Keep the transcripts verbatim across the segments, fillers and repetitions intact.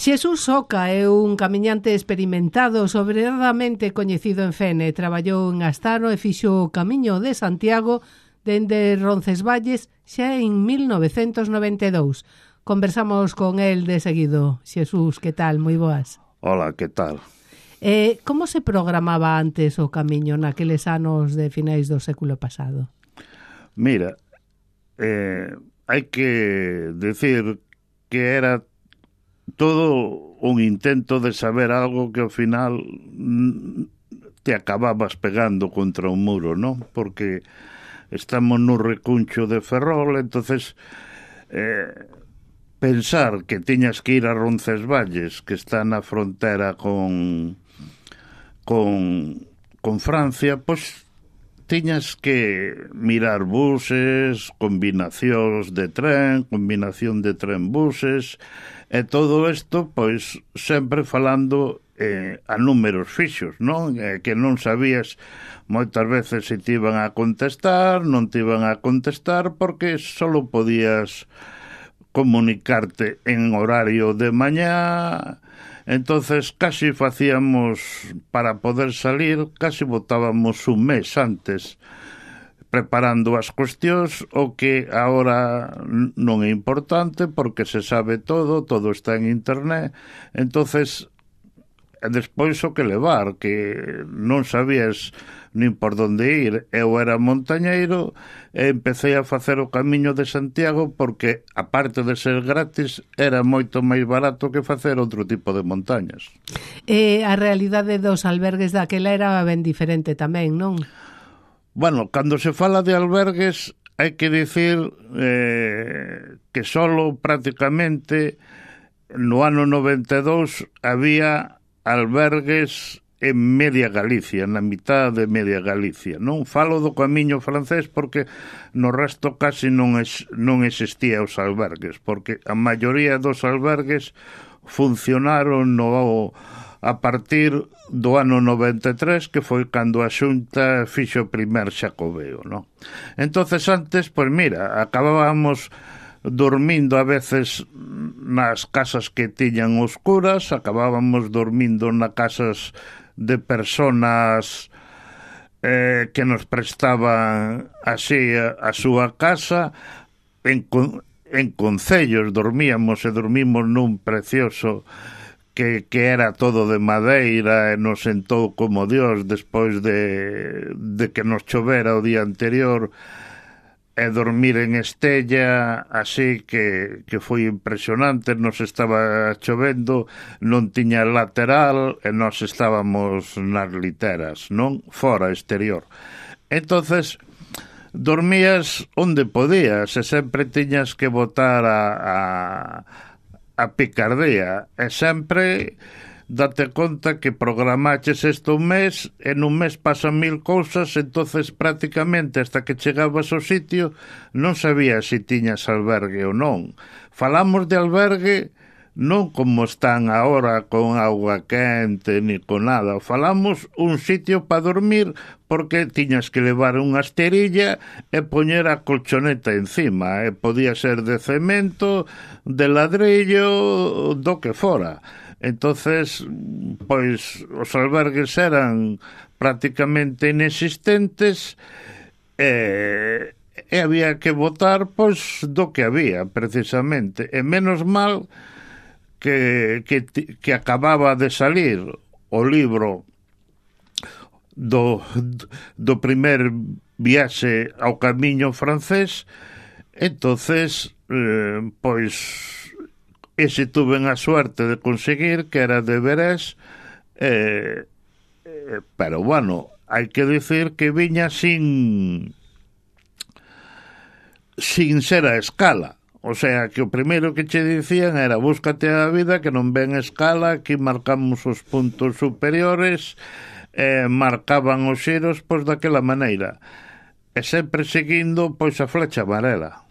Xesús Oca é un camiñante experimentado, sobradamente coñecido en Fene. Traballou en Astano e fixo o Camiño de Santiago dende Roncesvalles xa en mil novecentos noventa e dous. Conversamos con el de seguido. Xesús, que tal? Moi boas. Hola, que tal? Eh, como se programaba antes o Camiño naqueles anos de finais do século pasado? Mira, eh, hai que decir que era todo un intento de saber algo que ao final te acababas pegando contra un muro, non? Porque estamos nun recuncho de Ferrol, entonces eh, pensar que tiñas que ir a Roncesvalles, que está na frontera con con, con Francia, pois tiñas que mirar buses, combinacións de tren, combinación de tren-buses, e todo isto, pois, sempre falando eh, a números fixos, non? Eh, que non sabías moitas veces se te iban a contestar, non te iban a contestar, porque só podías comunicarte en horario de mañá. Entonces casi facíamos, para poder salir, casi botábamos un mes antes preparando as cuestións, o que agora non é importante porque se sabe todo, todo está en internet. Entonces despois o que levar, que non sabías nin por onde ir. Eu era montañeiro e empecé a facer o Camiño de Santiago porque, aparte de ser gratis, era moito máis barato que facer outro tipo de montañas. E a realidade dos albergues daquela era ben diferente tamén, non? Bueno, cando se fala de albergues, hai que dicir eh, que solo prácticamente no ano noventa e dous había albergues en media Galicia, na mitad de media Galicia, non? Falo do Camiño francés porque no resto casi non, es, non existía os albergues, porque a maioría dos albergues funcionaron no, a partir do ano noventa e tres, que foi cando a Xunta fixo o primer Xacobeo, non? Entonces antes, pois mira, acabábamos dormindo a veces nas casas que tiñan oscuras, acabábamos dormindo nas casas de personas eh, que nos prestaban así a, a súa casa. En, en concellos dormíamos e dormimos nun precioso que, que era todo de madeira e nos sentou como Dios despois de, de que nos chovera o día anterior, e dormir en Estella, así que, que foi impresionante. Nos estaba chovendo, non tiña lateral e nos estábamos nas literas, non? Fora, exterior. Entonces dormías onde podías e sempre tiñas que botar a, a, a picardía, e sempre date conta que programaches isto un mes e nun mes pasan mil cousas. Entonces prácticamente hasta que chegabas ao sitio non sabías se tiñas albergue ou non. Falamos de albergue non como están agora con auga quente ni con nada. Falamos un sitio para dormir porque tiñas que levar unha esterilla e poñer a colchoneta encima, e podía ser de cemento, de ladrillo, do que fora. Entonces, pois, os albergues eran prácticamente inexistentes e, e había que votar, pois, do que había, precisamente. E menos mal que, que, que acababa de salir o libro do, do primer viaxe ao Camiño francés. Entonces, eh, pois, ese tuve a suerte de conseguir, que era de Verés, eh, eh, pero bueno, hai que dicir que viña sin sin ser a escala. O sea, que o primeiro que che dicían era búscate a vida, que non ven escala, aquí marcamos os puntos superiores, eh, marcaban os xeros, pois, daquela maneira, e sempre seguindo, pois, a flecha amarela.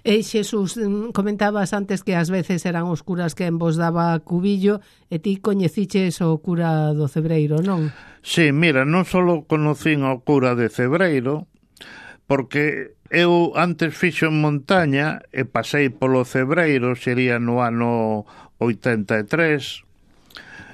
E Xesús, comentabas antes que ás veces eran os curas que en vos daba cubillo, e ti coñeciches o cura do Cebreiro, non? Sí, mira, non só conocín ao cura de Cebreiro, porque eu antes fixo en montaña e pasei polo Cebreiro, sería no ano oitenta e tres.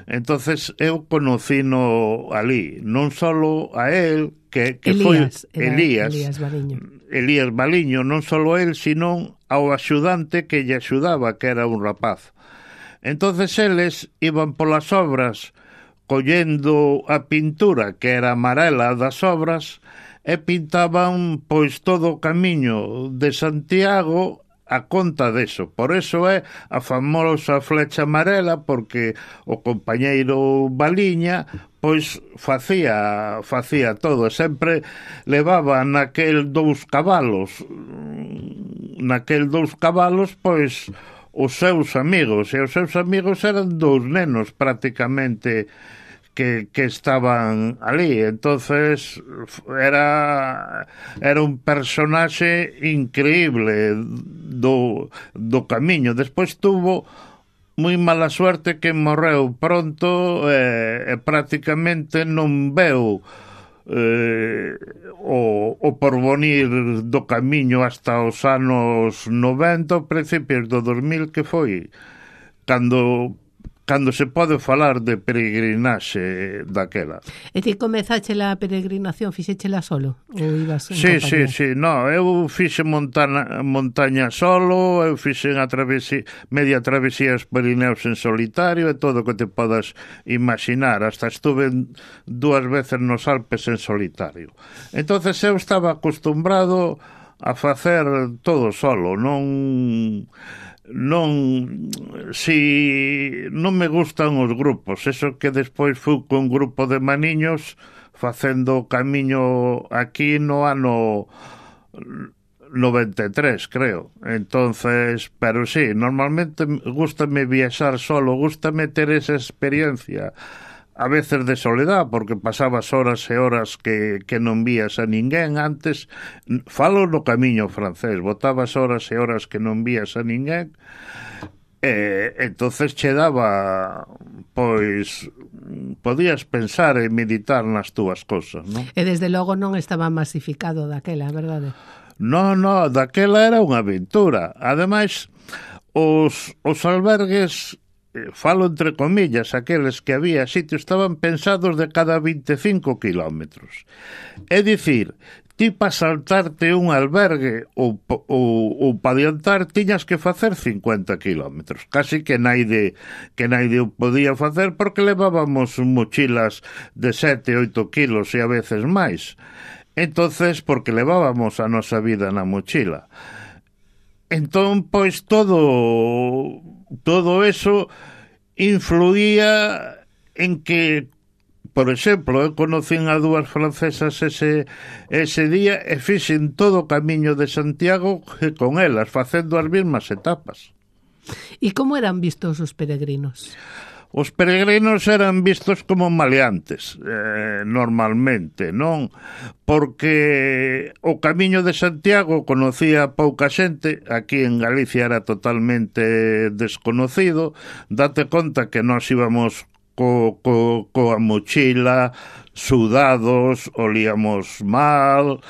Entonces eu conocino ali, non só a él, que, que Elías, foi Elías, Elías Baliño. Elías Baliño, non só él, sino ao axudante que lle axudaba, que era un rapaz. Entonces eles iban polas obras collendo a pintura, que era amarela das obras, e pintaban pois todo o camiño de Santiago a conta deso. Por eso é a famosa flecha amarela, porque o compañeiro Baliña pois facía facía todo, sempre levaba naquel dous cabalos naquel dous cabalos pois os seus amigos, e os seus amigos eran dous nenos prácticamente que, que estaban ali. Entonces era era un personaxe increíble do, do camiño. Despois tuvo moi mala suerte que morreu pronto e, e prácticamente non veu eh, o, o porvenir do camiño hasta os anos noventa, principios do dos mil, que foi cando cando se pode falar de peregrinaxe daquela. E ti comezache a peregrinación, fixéchela solo? Ou ibas en Sí, compañía? sí, sí, no, eu fixe montana, montaña solo, eu fixe a travesía, media travesía os Pirineos en solitario e todo o que te podas imaginar, hasta estuve dúas veces nos Alpes en solitario. Entonces eu estaba acostumbrado a facer todo solo, non... non si non me gustan os grupos, eso que despois fui con un grupo de maniños facendo o camiño aquí no ano noventa e tres, creo. Entonces, pero sí, normalmente gústame viaxar solo, gústame ter esa experiencia a veces de soledad, porque pasabas horas e horas que, que non vías a ninguén. Antes, falo no camiño francés, botabas horas e horas que non vías a ninguén, e entonces che daba, pois, podías pensar e meditar nas túas cosas, non? E desde logo non estaba masificado daquela, verdade? No, no, daquela era unha aventura. Ademais, os, os albergues, falo entre comillas, aqueles que había sitios, estaban pensados de cada vinte e cinco kilómetros. É dicir, ti para saltarte un albergue ou, ou, ou para adiantar tiñas que facer cincuenta kilómetros. Casi que naide, que naide o podía facer, porque levábamos mochilas de sete, oito kilos e a veces máis. Entonces, porque levábamos a nosa vida na mochila. Entón, pois, todo todo eso influía en que, por exemplo, eu conocín a dúas francesas ese, ese día e fixen todo o camiño de Santiago con elas, facendo as mesmas etapas. E como eran vistos os peregrinos? Os peregrinos eran vistos como maleantes, eh, normalmente, non? Porque o camiño de Santiago conocía pouca xente, aquí en Galicia era totalmente desconocido. Date conta que nós íbamos co, co, coa mochila, sudados, olíamos mal,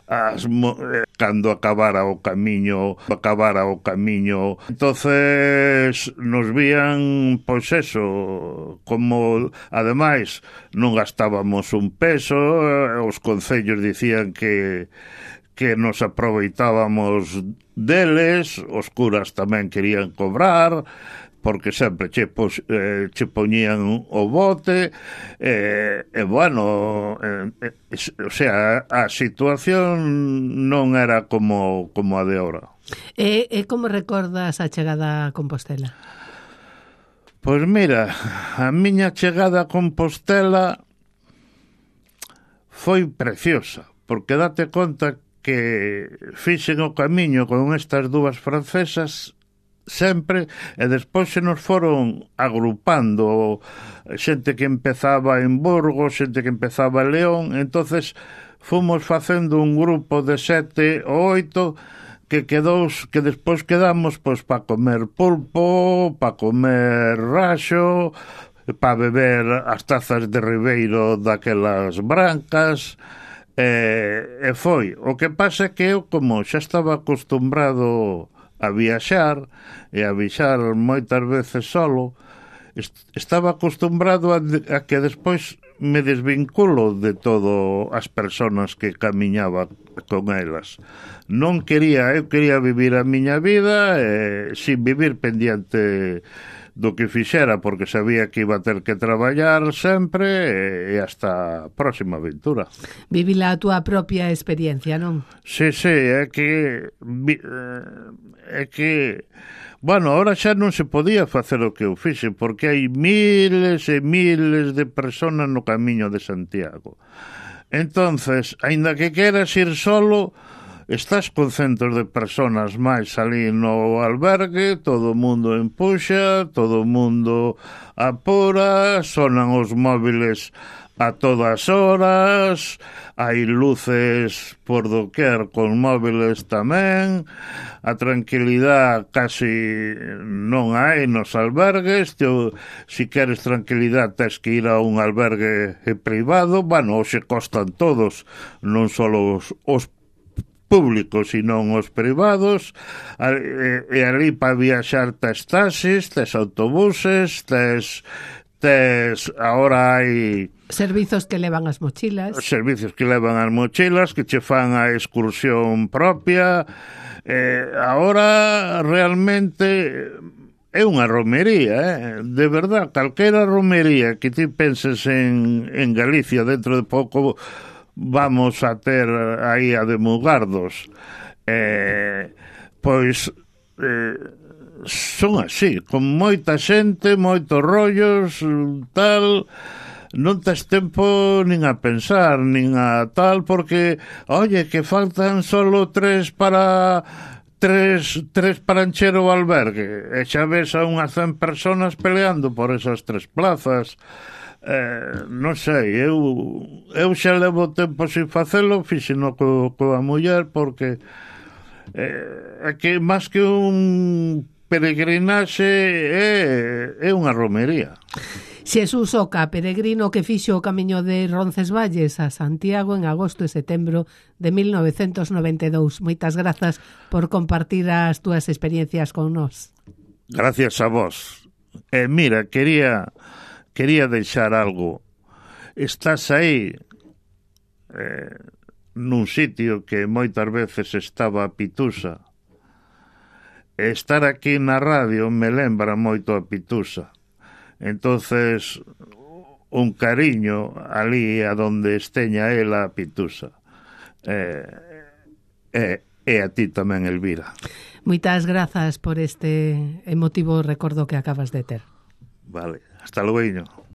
as, eh, cando acabara o camiño acabara o camiño entonces nos vían, pois eso, como ademais non gastábamos un peso, os concellos dicían que que nos aproveitábamos deles, os curas tamén querían cobrar, porque sempre che, pos, eh, che poñían o bote, e, eh, bueno, eh, eh, o sea, a situación non era como, como a de ahora. E, e como recordas a chegada a Compostela? Pois mira, a miña chegada a Compostela foi preciosa, porque date conta que fixen o camiño con estas dúas francesas sempre, e despois se nos foron agrupando xente que empezaba en Burgos, xente que empezaba en León, entonces fomos facendo un grupo de sete ou oito que quedou, que despois quedamos pois para comer pulpo, para comer raxo, para beber as tazas de Ribeiro daquelas brancas, e, e foi. O que pasa é que eu, como xa estaba acostumbrado a viaxar e a viaxar moitas veces solo, estaba acostumbrado a, a que despois me desvinculo de todo as persoas que camiñaba con elas. Non quería, eu quería vivir a miña vida eh, sin vivir pendiente do que fixera, porque sabía que iba a ter que traballar sempre e hasta a próxima aventura. Vivila a túa propia experiencia, non? Sí, sí, é que é que bueno, ahora xa non se podía facer o que eu fixe, porque hai miles e miles de personas no camiño de Santiago. Entonces, aínda que queras ir solo, estás con centos de personas máis ali no albergue, todo o mundo empuxa, todo o mundo apura, sonan os móviles a todas horas, hai luces por doquer con móviles tamén, a tranquilidade casi non hai nos albergues, te, si queres tranquilidade tens que ir a un albergue privado, bueno, hoxe costan todos, non só os, os públicos, sino os privados, e, e ali para viaxar tes taxis, tes autobuses, tes, tes ahora hai servizos que levan as mochilas, servizos que levan as mochilas, que che fan a excursión propia. Eh, ahora realmente é unha romería, eh? De verdad, calquera romería que ti penses en, en Galicia dentro de pouco vamos a ter aí a de Mugardos, eh, pois eh, son así, con moita xente, moitos rollos, tal, non tes tempo nin a pensar, nin a tal, porque, oye, que faltan solo tres para tres, tres para encher o albergue, e xa ves a unhas cen personas peleando por esas tres plazas. Eh, non sei, eu eu xa levo tempo sin facelo, fixeno co, coa muller, porque eh, é que máis que un peregrinaxe é, é unha romería. Xesús Oca, peregrino que fixo o camiño de Roncesvalles a Santiago en agosto e setembro de mil novecentos noventa e dous. Moitas grazas por compartir as túas experiencias con nós. Gracias a vos. E eh, mira, quería quería deixar algo. Estás aí eh, nun sitio que moitas veces estaba a Pitusa. Estar aquí na radio me lembra moito a Pitusa. Entonces, un cariño ali a donde esteña ela a Pitusa. Eh, e, e a ti tamén, Elvira. Moitas grazas por este emotivo recordo que acabas de ter. Vale, hasta luego.